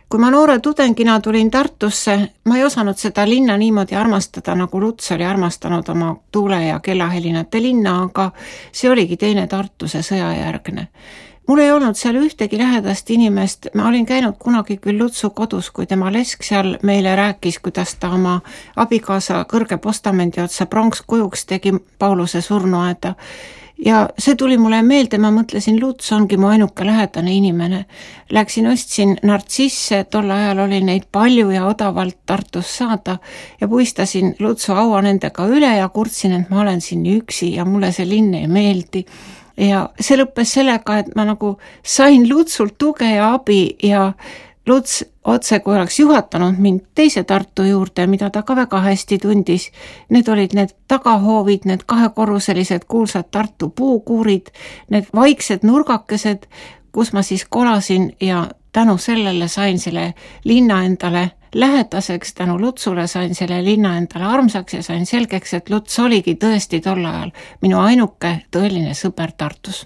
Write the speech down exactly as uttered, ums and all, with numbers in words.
Kui ma noore tudengina tulin Tartusse, ma ei osanud seda linna niimoodi armastada, nagu Luts oli armastanud oma tuule ja kellahelinate linna, aga see oligi teine Tartu, see sõjajärgne. Mul ei olnud seal ühtegi lähedast inimest, ma olin käinud kunagi küll Lutsu kodus, kui tema lesk seal meile rääkis, kuidas ta oma abikaasa kõrge postamendi otsa pronkskujuks tegi Pauluse surnuaeda. Ja see tuli mulle meelde, ma mõtlesin, Luts ongi mu ainuke lähedane inimene. Läksin, ostsin nartsisse, tol ajal oli neid palju ja odavalt Tartus saada ja puistasin Lutsu aua nendega üle ja kurtsin, et ma olen siin üksi ja mulle see linn ei meeldi. Ja see lõppes sellega, et ma nagu sain Lutsult tuge ja abi ja Luts otse, kui oleks juhatanud mind teise Tartu juurde, mida ta ka väga hästi tundis. Need olid need tagahoovid, need kahekorruselised kuulsad Tartu puukuurid, need vaiksed nurgakesed, kus ma siis kolasin ja tänu sellele sain selle linna endale lähedaseks, tänu Lutsule sain selle linna endale armsaks ja sain selgeks, et Luts oligi tõesti tol ajal minu ainuke tõeline sõber Tartus.